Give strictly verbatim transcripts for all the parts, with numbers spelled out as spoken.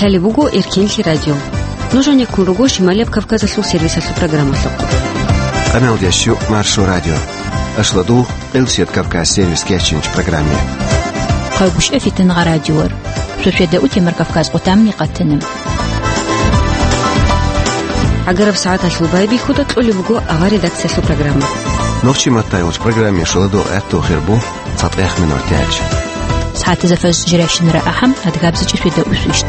Лъалеб буго Эркенлъи радио. Нуж гьанеккун руго Шималияб Кавказалъул сервисалъул программалъухъ. Къамелдеш Маршо радио. Ашладу, Къилсият Кавказ сервис кечинч программе. Хъайгушев Фитнагъа радиор. Шошеда утемар Кавказ къутамни къатана. Агараб сагӀаталъул байбихьуда кьолеб буго авар редакциялъул программа. Нохчи маттайулч программе шуладу гӀатту хирбу. ЦатӀех минутач. СагӀатазда фаз жирайщинара ахӀам, адгабзичӀи шведа усвищт.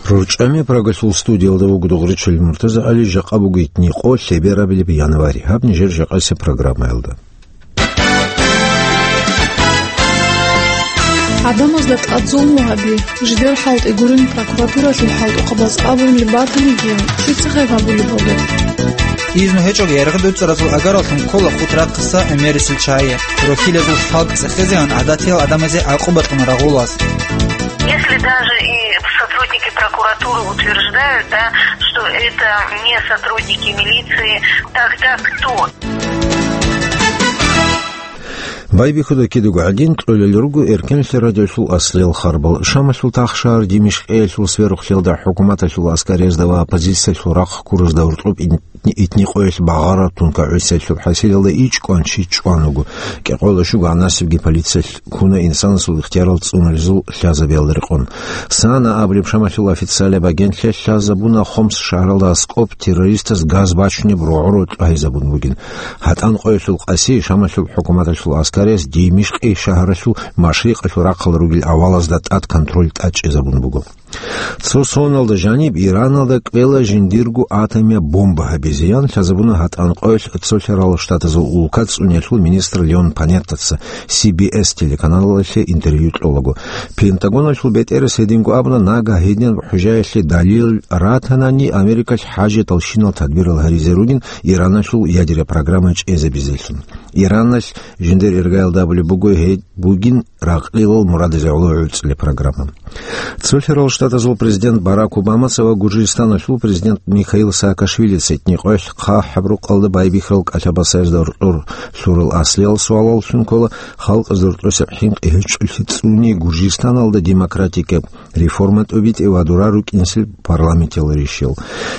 РорчӀами Прагалъул студиялда вуго Дугъричил Муртаза Али, жакъа буго итни къо лъеберабилеб январь. Гьаб нижер жакъасеб программаялда. ГӀадамазда тӀад зулму гьаби, жидер хӀалтӀи гурин прокуратуралъул хӀалтӀухъабаз абунилеб батаниги, щиб цехе гьабулеб буго? Изну гьечӀого яргъи дуцӀаразул агараллъун ккола хутӀрахъаса гӀемерисел чагӀи. Рохьилазул халкъ цӀехезегӀан гӀадатиял гӀадамазе гӀакъубатун рагъулас. Если даже и сотрудники прокуратуры утверждают, да, что это не сотрудники милиции, тогда кто? Байбихьуда кидаго гӀадин, кьолел руго Эркенлъи радиолъул аслиял харбал. Шамалъул тахшагьар Димишкъиялъул сверухълъиялда хӀукуматалъул аскариязда ва оппозициялъул рахъ ккуразда гьоркьоб итни къоялъ багъараб тункагӀусиялъул хӀасилалда ичӀ кӀванчи чӀван вуго. КӀикъоялда щуго гӀанасебги полициялъ ккуна инсанасул ихтиярал цӀунулезул лъазабиялда рекъон. САНА абулеб Шамалъул официалияб агентлъиялъ лъазабуна Хомс шагьаралда аскӀоб террористас газ бачунеб рогӀо-рокьи гьайзабун бугин. ГьатӀан къоялъул къаси Шамалъул хӀукуматалъул аскариялъ Димишкъи шагьаралъул машрикъалъул рахъалда ругел авалазда тӀад контроль тӀадчӀезабун буго. Цо соналда жаниб Ираналда кӀвела жиндирго атомияб бомба гьабизе, ян лъазабуна ГьатӀан къоялъ Цолъарал Штатазул улка цӀуниялъул министр Леон Панеттаца Си Би Эс телеканалалъе интервью кьолаго. Пентагоналъул бетӀерас гьединго абуна, нагагь гьединаб хӀужаялъе далил ратанани, Америкалъ хӀажаталщинал тадбирал гьаризе ругин Ираналъул ядераб программа чӀезабизелъун. Ираналъ жиндир иргаялда абулеб буго гьеб бугин ракълилал мурадазе гӀоло гӀуцӀулеб программа. Цолъарал Штатазул президент Барак Обамаца ва Гуржистаналъул президент Михаил Саакашвилица итни къоялъ хъахӀаб рукъалда байбихьарал кӀалъабасаязда гьоркьор лъурал аслиял суалаллъун ккола халкъазда гьоркьосеб хӀинкъи гьечӀолъи цӀуни Гуржистаналда демократикаб реформа тӀубитӀи ва дура рукӀинсел парламентиял ришиял.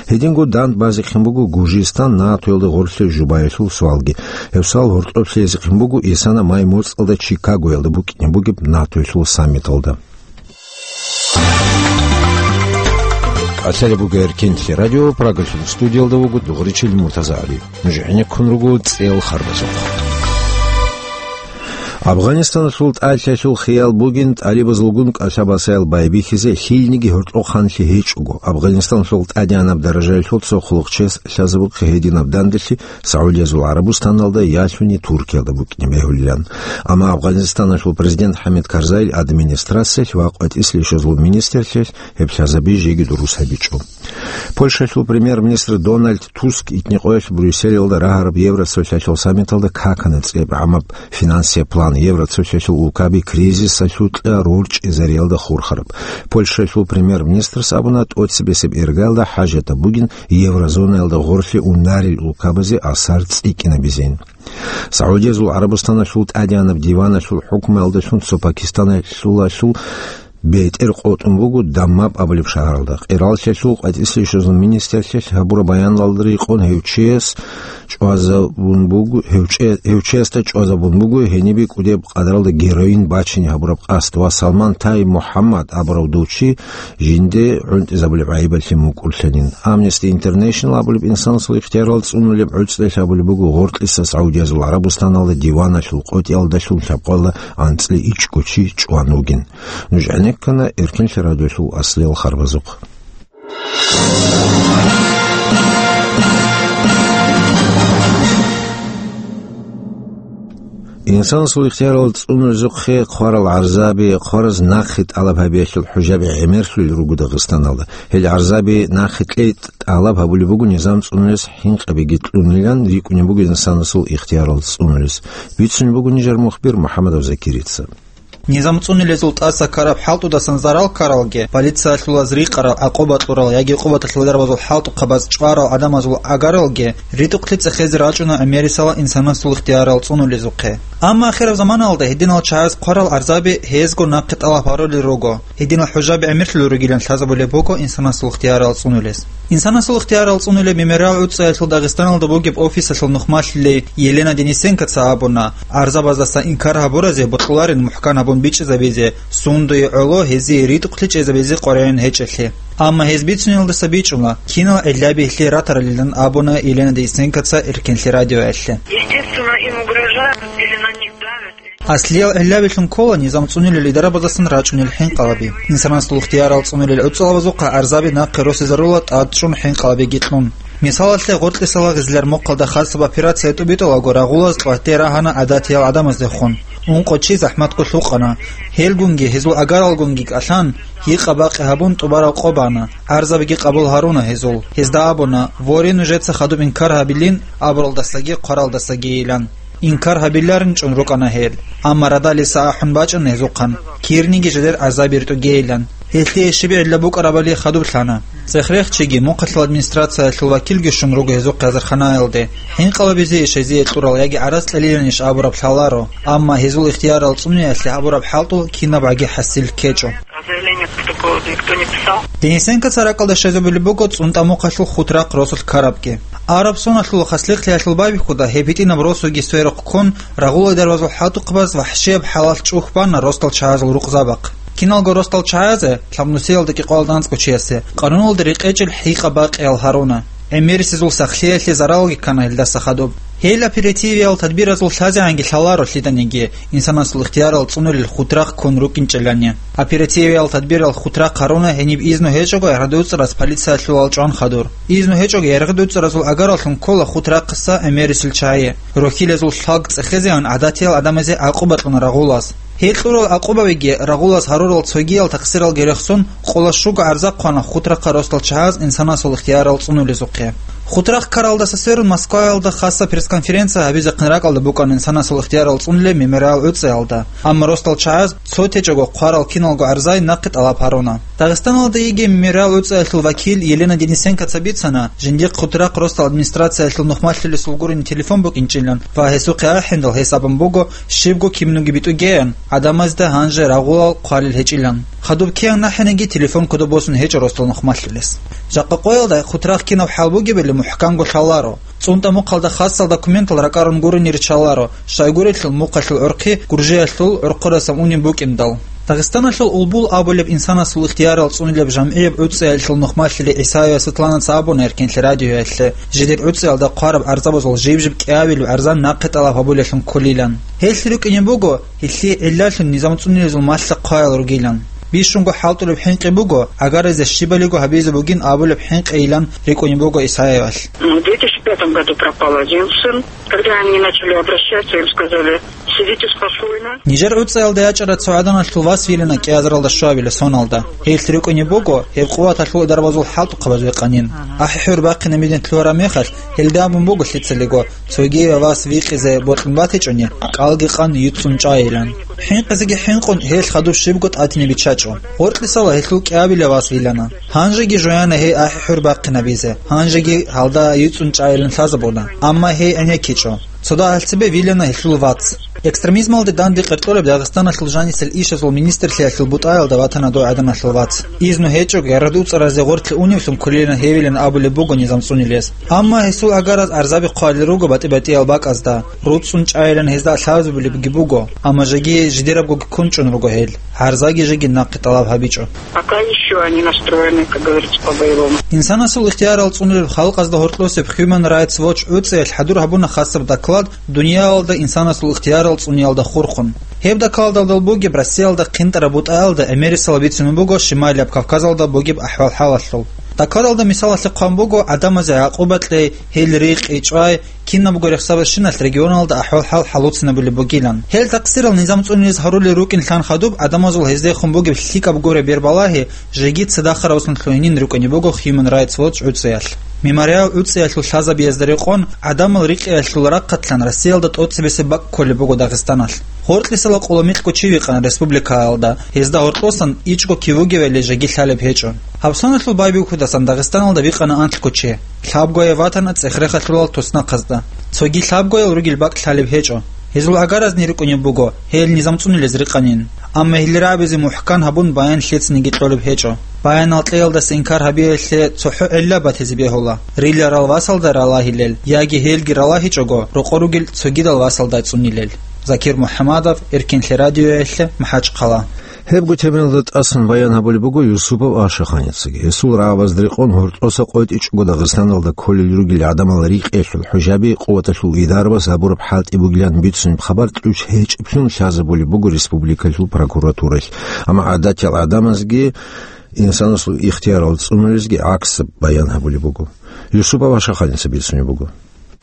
Гьединго дандбазехъин буго Гуржистан НАТОялда гъорлъе жубаялъул суалги. Гьеб суал гьоркьоб лъезехъин буго исана май моцӀалда Чикагоялда букӀине бугеб НАТОялъул саммиталда. Лъалеб буго Эркенлъи радио, Прагалъул студиялда вуго Дугъричил МуртазагӀали. Нуж гӀенеккун руго цӀел харбазухъ. Афганистаналъул тӀалъалъул хиял бугин тӀалибазулгун кӀалъабасаял байбихьизе лъилниги гьоркьохъанлъи гьечӀого. Афганистаналъул тӀадегӀанаб даражаялъул цо хъулухъчияс лъазабухъе гьединаб данделъи Саудиязул ГӀарабустаналда ялъуни Туркиялда букӀине бегьулилан. Амма Афганистаналъул президент ХӀамид Карзайил администрациялъ ва къватӀислъи щвезул министрлъиялъ гьеб лъазаби жеги дурус гьабичӀо. Польшалъул премьер-министр Дональд Туск итни къоялъ Брюсселалда рагьараб Евроцолъалъул саммиталда какана цӀебгӀамаб финансияб план Евроцолъалъул улкаби кризисалъукьа рорчӀезариялда хурхараб. Польшалъул премьер-министрас абуна, тӀоцебесеб иргаялда хӀажатаб бугин еврозонаялда гъорлъе унарел улкабазе асар цӀикӀкӀинабизин. Саудиязул ГӀарабустаналъул тӀадегӀанаб диваналъул хӀукмуялдалъун цо Пакистаналъулалъул бетӀер къотӀун буго Даммаб абулеб шагьаралда. Къираллъиялъул къватӀислъи щвезул министрлъиялъ гьабураб баяналда рекъон гьев чияс чӀвазабун буго, гьев чӀе-, гьев чиясда чӀвазабун буго гьенибе кӀудияб къадралда героин бачине гьабураб къасд ва Салман Тай МухӀаммад абурав дов чи жинде гӀунтӀизабулеб гӀайибалъе мукӀурлъанин. Amnesty International абулеб инсанасул ихтиярал цӀунулеб гӀуцӀрелъ абулеб буго гъоркьиса Саудиязул ГӀарабустаналда диваналъул къотӀиялдалъун лъабкъоялда анцӀила ичӀго чи чӀван вугин. Нуж гӀенеккана Эркенлъи радиолъул аслиял харбазухъ. Инсанасул ихтиярал цӀунулезухъе хъварал гӀарзаби, хъвараз нахъе тӀалаб гьабиялъул хӀужаби гӀемерлъулел руго Дагъистаналда. Гьел гӀарзаби нахъе кьей тӀалаб гьабулеб буго низам цӀунулес хӀинкъабиги кьунилан рикӀкӀунеб буго инсанасул ихтиярал цӀунулес. Бицунеб буго нижер мухбир МухӀаммадов Закирица. Низам цӀунулезул тӀаса ккараб хӀалтӀудасан зарал ккаралги, полициялъулаз рикъарал, гӀакъуба кьурал яги къуваталъул дарбазул хӀалтӀухъабаз чӀварал гӀадамазул агаралги ритӀухълъи цӀехезе рачӀуна гӀемерисела инсанасул ихтиярал цӀунулезухъе. Амма ахираб заманалда гьединал чагӀаз хъварал гӀарзаби гьезго нахъе тӀалаб гьарулел руго. Гьединал хӀужаби гӀемерлъулел ругилан лъазабулеб буго инсанасул ихтиярал цӀунулез. Инсанасул ихтиярал цӀунулеб мемориал гӀуцӀаялъул Дагъистаналда бугеб офисалъул нухмалъилей Елена Денисенкоца абуна, гӀарзабаздаса инкар гьабуразе бокьуларин мухӀкан гьабун бичӀчӀизабизе, сундуе гӀоло гьезие ритӀухълъи чӀезабизе къваригӀун гьечӀелъе. Амма гьез бицунелдаса бичӀчӀула, кинал гӀиллаби гьелъие ратаралилан абуна Елена Денисенкоца Эркенлъи радиоялъе. Естественно, им угрожают или на них давят. Аслиял гӀиллабилъун ккола низам цӀунулел дарабаздасан рачӀунел хӀинкъалаби. Инсанасул ихтиярал цӀунулел гӀуцӀалабазухъа гӀарзаби нахъе росизарула тӀадчӀун хӀинкъалабиги кьун. Мисалалъе, Гъоркьисала Гъизлар мухъалда хасаб операция тӀубитӀулаго рагъулаз тӀватде рагьана гӀадатиял гӀадамаздехун. Ункъо чи захӀматго лъукъана. Гьелгунги, гьезул агаралгунги кӀалъан, гьикъа-бакъи гьабун тӀубараб къо бана. ГӀарзабиги къабул гьаруна гьезул. Гьезда абуна, воре, нужеца хадуб инкар гьабилин абуралдасаги хъваралдасагийилан. Инкар гьабиларин чӀун рукӀана гьел, амма радалиса ахӀун бачӀана гьезухъан, кирниги жидер гӀазаби ритӀугейилан. Гьелъие щиб гӀилла букӀарабали хадуб лъана. Цех рехчиги, мухъалъул администрациялъул вакилги щун руго гьезухъе азарханаялде. ХӀинкъалабизе иш гьезие кьурал яги гӀарац кьелилан иш абураб лъаларо, амма гьезул ихтиярал цӀуниялъе гьабураб хӀалтӀул кинабгӀаги хӀасил ккечӀо. А заявление протокола никто не писал? Денисенкоца ракӀалда щвезабулеб буго ЦӀунтӀа мухъалъул Хутрахъ росулъ ккарабги. Араб соналъул хаслихълъиялъул байбихьуда гьеб гьитӀинаб росуги сверухъ ккун, рагъулай дарбазул хӀалтӀухъабаз вахӀшияб хӀалалъ чӀухь бана росдал чагӀазул рукъзабахъ. Киналго росдал чагӀазе, лъабнусиялда кӀикъоялда анцӀго чиясе, къануналда рекъечӀел хӀикъа-бакъиял гьаруна. ГӀемерисезул сахлъиялъе заралги ккана гьелдаса хадуб. Гьел оперативиял тадбиразул лъазегӀанги лъаларо лъиданиги, инсанасул ихтиярал цӀунулел Хутрахъ ккун рукӀинчӀелани. Оперативиял тадбирал Хутрахъ гьаруна гьениб изну гьечӀого ГӀергъадуцӀарас полициялъул алчӀван хадур. Изну гьечӀого ГӀергъадуцӀаразул агаралъун ккола Хутрахъаса гӀемерисел чагӀи. Рохьилазул лъалкӀ цӀехезегӀан гӀадатиял гӀадамазе гӀакъуба кьуна рагъулас. Гьел кьурал гӀакъубабиги рагъулас гьарурал цогиял тахсиралги рехсон, къола щуго гӀарза хъвана Хутрахъа росдал чагӀаз инсанасул ихтиярал цӀунулезухъе. Хутрахъ ккаралдаса сверун Москваялда хасаб пресс-конференция гьабизехъин ракӀалда букӀана инсанасул ихтиярал цӀунулеб мемориал гӀуцӀаялда, амма росдал чагӀаз цо течӀого хъварал киналго гӀарзай нахъе тӀалаб гьаруна. Дагъистаналда йигей мемориал гӀуцӀаялъул вакил Елена Денисенкоца бицана, жиндихъ Хутрахъ росдал администрациялъул нухмалъулесул гурони телефон букӀинчӀилан ва гьесухъе ахӀиндал гьес абун буго, щибго кимнуги битӀугеян, гӀадамазда гьанже рагъулал хъвалел гьечӀилан. Хадуб киян нахӀаниги телефон кодоб босун гьечӀо росдал нухмалъулес. Жакъа къоялда Хутрахъ кинаб хӀал бугебали мухӀканго лъаларо. ЦӀунтӀа мухъалда хасал документал ракӀарун гурони риччаларо, щайгурелъул мухъалъул гӀурхъи Гуржиялъул гӀурхъурасан унеб букӀиндал. Дагъистаналъул Улбул абулеб инсанасул ихтиярал цӀунулеб жамгӀияб гӀуцӀиялъул нухмалъулей ГӀисаева Светланаца абуна Эркенлъи радиоялъе, жидер гӀуцӀиялда хъвараб гӀарзабазул жиб-жиб кӀиабилеб гӀарзан нахъе тӀалаб гьабулелъун кколилан. Гьелъ рукӀине буго, гьелъие гӀиллалъун низам цӀунулезул малъа-хъваял ругилан. Бищунго хӀалтӀулеб хӀинкъи буго, агарализе щибалиго гьабизе бугин абулеб хӀинкъийилан рикӀкӀунеб буго ГӀисаевалъ. В две тысячи пятом году пропал один сын. Когда они начали обращаться, им сказали: «Сидите спокойно». Нижер гӀуцӀаялда ячӀарай цо гӀаданалъул вас вилана кӀиазаралда щуабилеб соналда. Гьелъ рукӀунеб буго, гьеб къуваталъул дарбазул хӀалтӀухъабаз векъанин. АхӀи-хӀур бахъинаб мидин лъугьараб мехалъ, гьелда абун буго лъицалиго, цогияв вас викъизе бокьун батичӀони, кӀалги къан юцӀцӀун чӀайилан. ХӀинкъизеги хӀинкъун, гьелъ хадуб щибго тӀатине биччачӀо. Гъоркьисала гьелъул кӀиабилеб вас вилана. Гьанжеги жояна гьей ахӀи-хӀур бахъинабизе, гьанжеги гьалда юцӀцӀун чӀайилан лъазабуна, амма гьей гӀенеккичӀо. Цо дагьал цебе вилана гьелъул вац. Экстремизмалде данде къеркьореб Дагъистаналъул жанисел ишазул министрлъиялъул бутӀаялда ватана дой гӀаданалъул вац. Изну гьечӀого ГӀергъадуцӀаразе гъорлъе уневлъун кколилан гьевилан абулеб буго низам цӀунилес. Амма гьесул агараз гӀарзаби хъвалел руго батӀи-батӀиял бакӀазда, руцӀцӀун чӀайилан гьезда лъазабулебги буго, амма жеги жидерабгоги ккун чӀун руго гьел. ГӀарзаги жеги нахъе тӀалаб гьабичӀо. Пока ещё они настроены, как говорится, по-боевому. Инсанасул ихтиярал цӀунулеб халкъазда гьоркьосеб Human Rights Watch гӀуцӀиялъ хӀадур гьабуна хасаб доклад дуниялалда инсанасул ихтиярал цӀуниялда хурхун. Гьеб докладалда бугеб Россиялда хъинтӀараб бутӀаялда гӀемерисела бицунеб буго Шималияб Кавказалда бугеб ахӀвал-хӀалалъул. Докладалда мисалалъе хъван буго гӀадамазе гӀакъуба кьей, гьел рикъи, чӀвай, кинабго рехсабазщиналъ регионалда ахӀвал-хӀал хӀалуцинабулеб бугилан. Гьел такъсирал низам цӀунулез гьарулел рукӀин лъан хадуб, гӀадамазул гьездехун бугеб лъикӀаб гуре бербалагьи жеги цадахъ равсун лъугьинин рукӀине буго Human Rights Watch гӀуцӀиялъ. Мемориал гӀуцӀиялъул лъазабиязда рекъон, гӀадамал рикъиялъул рахъалъан Россиялда тӀоцебесеб бакӀ кколеб буго Дагъистаналъ. Гьоркьисала къоло микьго чи викъана республикаялда, гьезда гьоркьосан ичӀго кивугевали жеги лъалеб гьечӀо. Гьабсаналъул байбихьудасан Дагъистаналда бикъана анлъго чи. Лъабгояв ватана цӀех-рехалъулал туснахъазда. Цоги лъабгоял ругел бакӀ лъалеб гьечӀо. Гьезул гӀагаразни рукӀунеб буго, гьел низам цӀунулез рикъанин. Амма гьел рагӀабизе мухӀкан гьабун баян лъецинеги кьолеб гьечӀо. Баянал кьеялдаса инкар гьабиялъе цохӀо гӀилла батизе бегьула: риларал васалда ралагьилел, яги гьелги ралагьичӀого, рокъор ругел цогидал васалда цӀунилел. Закир МухӀамадов, Эркинлъи радиоялъе, МахӀачхъала. Гьебго темаялда тӀасан баян гьабулеб буго Юсупов Ашаханицаги. Гьесул рагӀабазда рекъон гьоркьоса къотӀичӀого Дагъистаналда кколел ругел гӀадамал рикъиялъул хӀужаби къуваталъул идарабаз гьабураб хӀалтӀи бугилан бицунеб хабар кьучӀ гьечӀеблъун лъазабулеб буго республикалъул прокуратуралъ. Амма гӀадатиял гӀадамазги инсанасул ихтиярал цӀунулезги гӀаксаб баян гьабулеб буго. Юсупов Ашаханица бицунеб буго.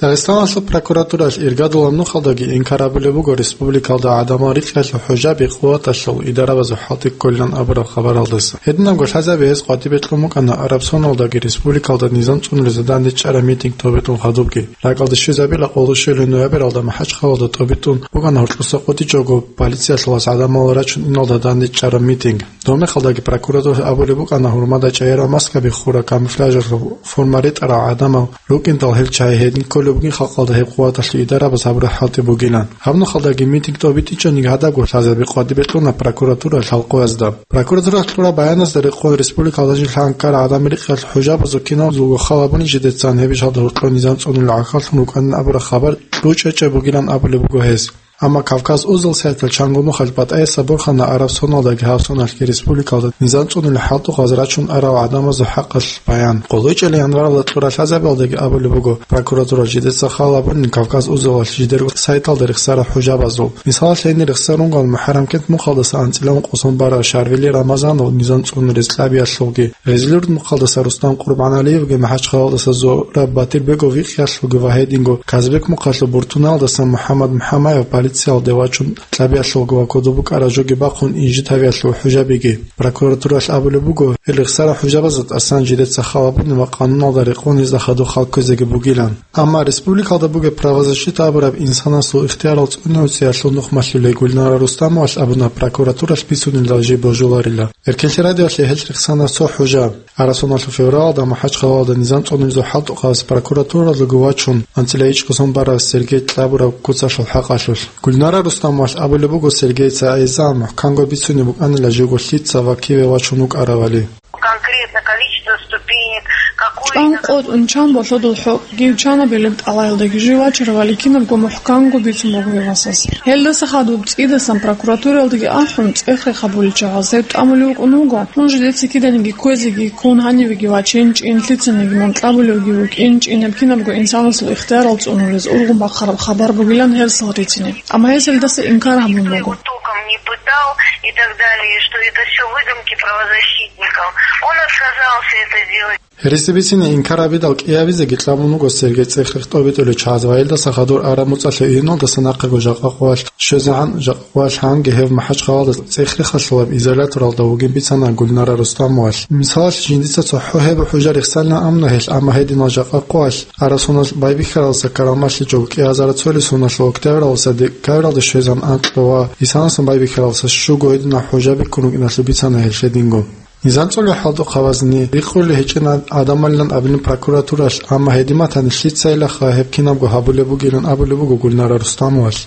Дагъистаналъул прокуратуралъ иргадулаб нухалдаги инкар гьабулеб буго республикалда гӀадамал рикьиялъул хӀужаби къуваталъул идарабазул хӀалтӀи кколилан абураб хабаралдаса. Гьединабго лъазаби гьез къватӀибе кьун букӀана Арабсоналдаги республикалда низам цӀунулезда дандечӀараб митинг тӀобитӀун хадубги. РакӀалде щвезабила къоло щуялъул ноябралда МахӀачхъалалда тӀобитӀун букӀана гьоркьоса къотӀичӀого полициялъулас гӀадамал рачун иналда дандечӀараб митинг. Доб мехалдаги прокуратуралъ абулеб букӀана гьурмада чӀегӀерал маскаби хурал, камуфляжалъул форма ретӀарал гӀадамал рукӀиндал гьел чагӀи гьедин кколеб бугин халкъалда гьеб къуваталъул идарабаз гьабураб хӀалтӀи бугилан. Гьаб нухалдаги митинг тӀобитӀичӀониги гьадабго лъазаби къватӀибе кьуна прокуратуралъ гьал къоязда. Прокуратуралъ кьураб баяназда рекъон республикалда жил лъан ккарал гӀадамал рикьиялъул хӀужабазул киналго хал гьабуни жидецан гьеб ишалда гьоркьоб низам цӀунулел гӀахьаллъун рукӀанин абураб хабар кьучӀечӀеб бугилан абулеб буго гьес. Амма Кавказ узел сайтал чанго нухалъ батӀаясаб борхана Арабсоналдаги гьабсаналъги республикалда низам цӀунулел хӀалтӀухъаз рачун арал гӀадамазул хӀакъалъ баян. Къоло ичӀел январалда кьурал лъазабиялдаги абулеб буго, прокуратуралъ жидеца хал гьабунин Кавказ узелалъ жидерго сайталда рехсарал хӀужабазул. Мисалалъ, гьенир рехсарун ругел МухӀаррамкент мухъалдаса анцӀила ункъо сон барав Шарвили Рамазанов низам цӀунулез кьабиялъулги, Гъезилюрт мухъалдаса Рустам Къурбаналиевги, МахӀачхъалалдаса Зураб Батирбегов рикьиялъулги ва гьединго Казбек мухъалъул Буртуналдаса МухӀаммад МухӀамаев полициялде вачун кьабиялъулги ва кодоб букӀараб жоги бахъун инжит гьавиялъул хӀужабиги. Прокуратуралъ абулеб буго, гьел рехсарал хӀужабазда тӀасан жидеца хал гьабуни ва къануналда рекъон гьезда хадуб хал кквезеги бугилан. Амма республикалда бугеб правозащита абураб инсанасул ихтиярал цӀунулъиялъул нухмалъулей Гульнара Рустамовалъ абуна прокуратуралъ бицунилан жиб божуларила. Эркинлъи радиоялъе гьел рехсана цо хӀужа. Арабсоналъул февралалда МахӀачхъалалда низам цӀунулезул хӀалтӀухъабаз прокуратуралдаго вачун анцӀила ичӀго сон барав Сергей кьабураб куцалъул хӀакъалъулъ. Гульнара Рустамовалъ абулеб буго Сергейица гӀезегӀан мухӀканго бицунеб букӀанила живго лъица ва киве вачун вукӀаравали. Конкретно количество ступенек, какой... ЧӀван къотӀун чан болъодул хӀукъ, гьев чанабилеб тӀалаялдаги жив вачаравали кинабго мухӀканго бицун буго гьев васас. Гьелдаса хадуб цӀидасан прокуратуралдаги ахӀун, цӀех-рех гьабулел чагӀаз гьев тӀамулев вукӀун вуго, мун жидеца киданиги кквезеги ккун, гьанивеги вачинчӀин, лъицаниги мун кьабулевги вукӀинчӀин, гьеб кинабго инсанасул ихтиярал цӀунулез ургъун бахъараб хабар бугилан гьерсал рицине. Амма гьес гьелдаса инкар гьабун буго. Током не пытал и так далее, что это всё выдумки правозащитников. Он отказался это делать. Гьереси бицине инкар гьабидал кӀиабизеги кьабун вуго Сергей цӀех-рех тӀобитӀулев чагӀаз ва гьелдаса хадур араб муцӀалъ июналдаса нахъего жакъа къоялъ щвезегӀан, жакъа къоялъ гьанги гьев МахӀачхъалалда цӀех-рехалъулаб изоляторалда вугин бицана Гульнара Рустамовалъ. Мисалалъ, жиндица цохӀо гьеб хӀужа рехсалин абуна гьелъ, амма гьединал жакъа къоялъ Арабсоналъ байбихьаралдаса ккарал малъичӀого кӀиазараб цоялъ соналъул октябралдаса декабралде щвезегӀан анкьго ва исаналдасан байбихьаралдаса щуго гьединал хӀужа бихьун рукӀиналъул бицана гьелъ гьединго. Низам цӀунулел хӀалтӀухъабазни рикъулел гьечӀин гӀадамалилан абилин прокуратуралъ, амма гьедин батани лъицайилаха гьеб кинабго гьабулеб бугилан абулеб буго Гульнара Рустамовалъ.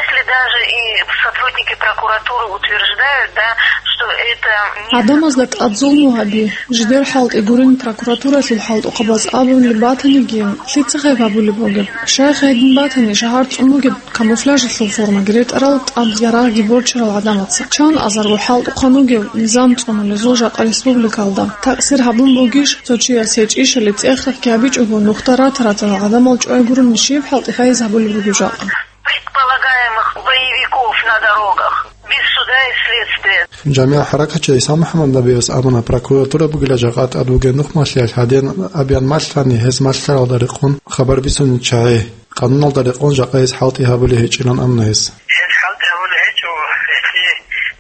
Если даже и сотрудники прокуратуры утверждают, да, что это не... ГӀадамазда тӀад зулму гьаби, жидер хӀалтӀи гурин прокуратуралъул хӀалтӀухъабаз абулеб батаниги, лъица гьеб гьабулеб бугеб? Щай гьедин батани, шагьар цӀун бугеб камуфляжалъул формаги ретӀарал, тӀад ярагъги борчарал гӀадамаца. Чан азарго хӀалтӀухъан вугев низам цӀунулезул жакъа республикалда? Такъсир гьабун бугищ цо чияс гьечӀищали цӀех-рехги гьабичӀого нухда рата-ратарал гӀадамал чӀвай гурони щиб хӀалтӀи гьайиз гьабулеб бугеб жакъа? Предполагаемых боевиков на дорогах. Без Дай следствие. ЖамигӀ хӀаракатчи ГӀиса МухӀаммад Набиевас абуна, прокуратура бугила жакъа тӀад бугеб нухмалъиялъ гьадин абеян малъани, гьез малъаралда рекъон хабар бицунел чагӀи. Къануналда рекъон жакъа гьез хӀалтӀи гьабулеб гьечӀилан абуна гьес. Гьез хӀалтӀи гьабулеб гьечӀо, гьелъие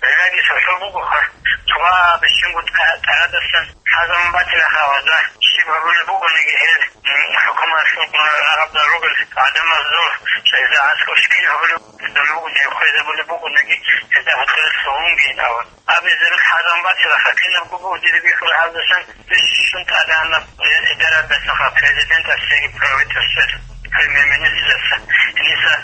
гӀиллаги лъалеб бугоха, цо бищунго тӀа-, тӀарадасан хӀазабун батила хавазда, щиб гьабулеб бугониги гьел, м, хӀукуматалъул рагъаб ругел гӀадамазул, гьезда аскӀов щиб гьабулеб бугониги, хвезабулеб бугониги, гьезда гьоркьоса лъугьунги абун. Абизе хӀазабун батилаха, кинабго бугеб дида бихьулеб гьабдасан, бищун тӀадегӀанаб, э, идарадасаха, президентасеги правительствоялъ, премьер-министрасда, гьениса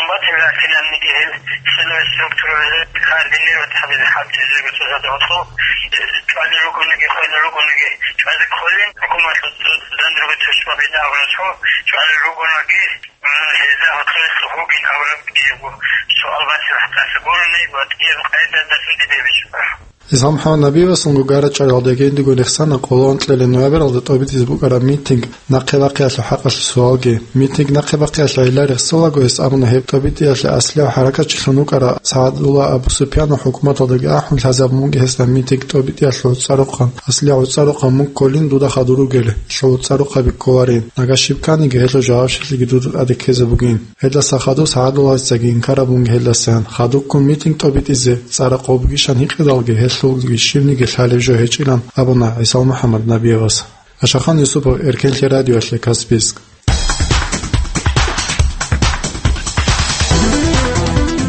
Батила кинабниги гьел силовой структурабазе координировать гьабизе хӀалтӀизего цоцазда гьоркьоб, э, чӀвалел ругониги, хвелел ругониги, чӀвазе кколин, хӀукуматалъул данде ругел тушмабида абурасго, чӀвалел ругонаги, м, гьезда гьоркьоса лъугьугин абураб кӀиябго суал батила гьатӀаса гурони ва кӀияб къайдадасан диде бичӀчӀула. ГӀиса МухӀаммад Набиевасул гугара чӀвалалдеги диго рехсана къоло анкьабилеб ноябралда тӀобитӀизе букӀараб митинг нахъе бахъиялъул хӀакъалъулъ суалги. Митинг нахъе бахъиялъул гӀилла рехсолаго, гьес абуна, гьеб тӀобитӀиялъе аслияб хӀаракатчилъун вукӀарав СагӀадулла Абу Суфьяна хӀукуматалдаги ахӀун лъазабун буго гьесда митинг тӀобитӀиялъул цӀарухъан, аслияб цӀарухъан мун кколин дуда хадур ругел, лъул цӀарухъаби кколарин, нагагь щиб кканиги гьелъул жавабщинлъиги дуда тӀаде ккезе бугин. Гьелдаса хадуб СагӀадуллагьицаги инкараб бугин гьелдасан, хадубккун митинг тӀобитӀизе цӀара къо бугищан гьикъидалги, гьелъулги щибниги лъалеб жо гьечӀилан абуна ГӀиса МухӀаммад Набиевас. Ашахан Юсупов, Эркенлъи радиоялъе, Каспийск.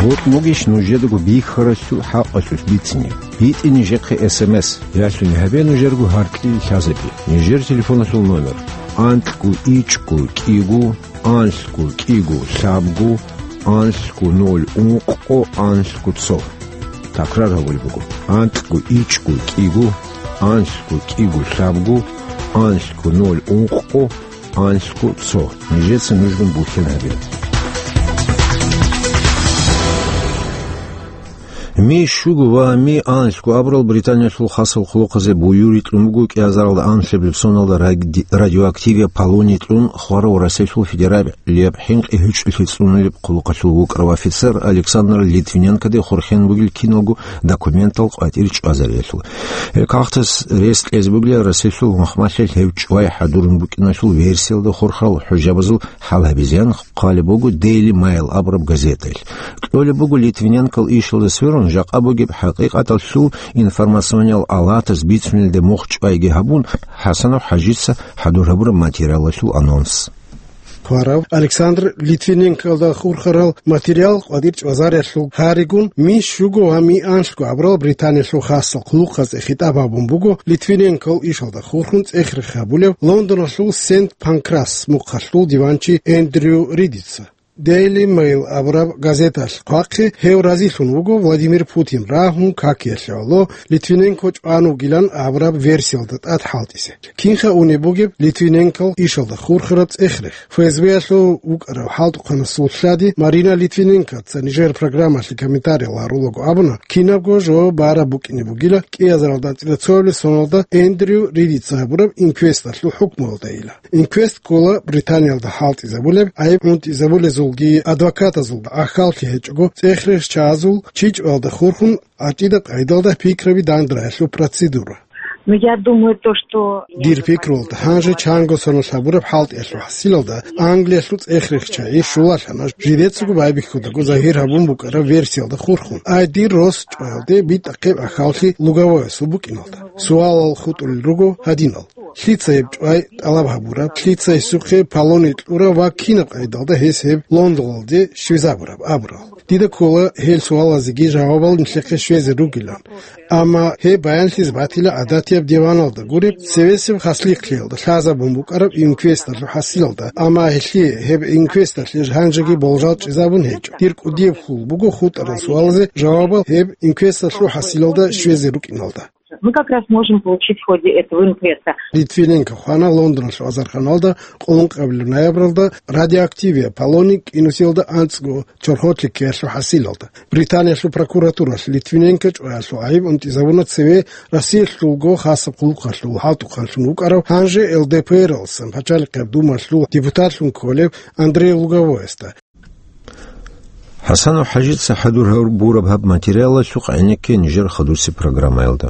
БутӀ бугищ нужедаго бихьаралъул хӀакъалъулъ бицине? БитӀе нижехъе эс эм эс, ялъуни гьабе нужерго гьар кьиги лъазабе. Нижер телефоналъул номер: анкьго ичӀго кӀиго, анлъго кӀиго лъабго, анлъго ноль ункъго, анлъго цо. Такрар гьабулеб буго: анкьго ичӀго кӀиго, анлъго кӀиго лъабго, анлъго ноль ункъго, анлъго цо. Нижеца нужгун бухьен гьабе. Ми щуго ва ми анлъго абурал Британиялъул хасал хъулухъазе буюрикьун буго кӀиазаралда анлъабилеб соналда ради-, радиоактивияб полоний кьун хварав Россиялъул федералияб хӀинкъи гьучӀулъи цӀунулеб хъулухъалъул вукӀарав офицер Александр Литвиненкоде хурхен бугел киналго документал къватӀир чӀвазариялъул. Гьеб кагътас рес кьезе бугила Россиялъул махмалъи гьев чӀвай хӀадурун букӀиналъул версиялда хурхарал хӀужабазул хӀал гьабизеян хъвалеб буго Daily Mail абураб газетаялъ. Кьолеб буго, Литвиненкол ишалда сверун, жакъа бугеб хӀакъикъаталъул информациониял алатаз бицунелде мухь чӀвайги гьабун, ХӀасанов ХӀажица хӀадур гьабураб материалалъул анонс. Хварав Александр Литвиненколда хурхарал материал къватӀир чӀвазариялъул гьаригун, ми щуго ва ми анлъго абурал Британиялъул хасал хъулухъазде хитӀаб гьабун буго Литвиненкол ишалда хурхун цӀех-рех гьабулев Лондоналъул Сент Панкрас мухъалъул диванчи Эндрю Ридица. Daily Mail абураб газеталъ хъвахъе гьев разилъун вуго Владимир Путин рагьун какиялъе гӀоло Литвиненко чӀван вугилан абураб версиялда тӀад хӀалтӀизе. Кинха унеб бугеб Литвиненкол ишалда хурхараб цӀех-рех? ФСБ-ялъул вукӀарав хӀалтӀухъанасул лъади Марина Литвиненкоца нижер программалъе комментариял гьарулаго абуна, кинабго жо бараб букӀине бугила кӀиазаралда анцӀила цоабилеб соналда Эндрю Ридица гьабураб инквесталъул хӀукмуялдайила. Инквест ккола Британиялда хӀалтӀизабулеб, гӀайиб гӀунтӀизабулезулги адвокатазулги гӀахьаллъи гьечӀого, цӀех-рехчагӀазул чи чӀваялда хурхун гӀачӀида къайдалда пикраби данде рагӀиялъул процедура. Ну, я думаю, то, что... Дир пикруялда, гьанже чанго соналъ гьабураб хӀалтӀиялъул хӀасилалда Англиялъул цӀех-рехчагӀи щулалъана, жидецаго байбихьудаго загьир гьабун букӀараб версиялда хурхун. Ай, дир рос чӀваялде битӀахъеб гӀахьаллъи Луговоясул букӀиналда. Суалал хутӀулел руго гьадинал: лъица гьеб чӀвай тӀалаб гьабураб, лъица гьесухъе полоний кьураб ва кинаб къайдалда гьес гьеб Лондоналде щвезабураб абурал. Дида ккола гьел суалазеги жавабал нилъехъе щвезе ругилан. Амма гьеб баянлъизе батила гӀадатияб диваналда гуреб, цевесеб хаслихълъиялда лъазабун букӀараб инквесталъул хӀасилалда, амма гьелъие гьеб инквесталъе гьанжеги болжал чӀезабун гьечӀо. Дир кӀудияб хьул буго хутӀарал суалазе жавабал гьеб инквесталъул хӀасилалда щвезе рукӀиналда. Мы как раз можем получить в ходе этого инквеста. Литвиненко хвана Лондоналъул азарханалда къоло ункъабилеб ноябралда радиоактивияб полоний кӀинусиялда анцӀго чорхолъи ккеялъул хӀасилалда. Британиялъул прокуратуралъ Литвиненко чӀваялъул гӀайиб унтӀизабуна цеве Россиялъулго хасаб хъулухъалъул хӀалтӀухъанлъун вукӀарав, гьанже ЛДПР-алъсан пачалихъияб думалъул депутатлъун кколев Андрей Луговоясда. ХӀасанов ХӀажица хӀадур гьабураб гьаб материалалъухъ гӀенекке нижер хадусеб программаялда.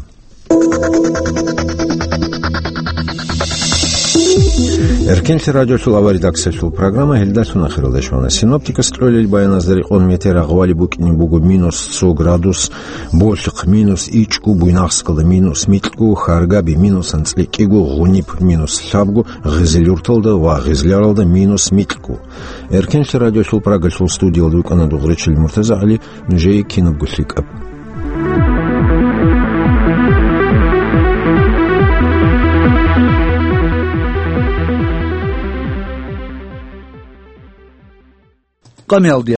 Эркенлъи радиолъул аваредакциялъул программа гьелдалъун ахиралде щвана. Синоптикас кьолел баяназда рекъон метер агъвали букӀине буго минус цо градус, Болъихъ минус ичӀго, Буйнакскалда минус микьго, Харгаби минус анцӀила кӀиго, Гъуниб минус лъабго, Гъизилюрталда ва Гъизляралда минус микьго. Эркенлъи радиолъул Прагалъул студиялда рукӀана Дугъричил МуртазагӀали, нужее кинабго лъикӀаб. Къамиялде